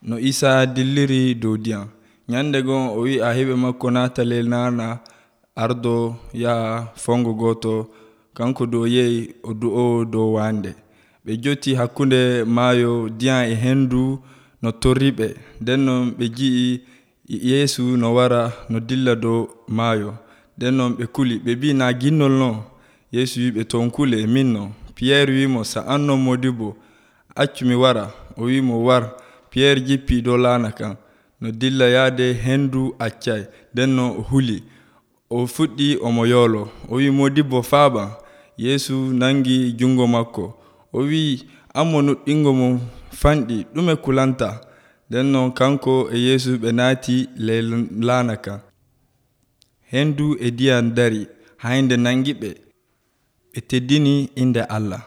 No Isa dilliri dow ndiyam. Nyande gon o wi ahiɓe makko naata ley naana ardo yaha fongo goto kanko dow yehi o du'o dow wande. Ɓe joti hakkunde maayo ndiyam e hendu no torriɓe. Nden non ɓe ji'i Yeesu no wara no dilla dow maayo. Nden non ɓe kuli ɓe mbi na ginnol non. Yeesu wi ɓe ton kule min non. Pierre wimo sa an non Modibbo accu mi wara. O wimo war. Pierre jippi dow laana kan no dilla yaade hendu accay. Nden non o huli o fuɗɗi omo yoolo. O wi Modibbo faaɓam. Yeesu nangi jungo makko o wi an mo nuɗɗingo mo fanɗi ɗume kulanta. Nden non kanko e Yeesu ɓe naati ley laana kan. Hendu e ndiyam dari hayde nangi ɓe teddini inde Allah.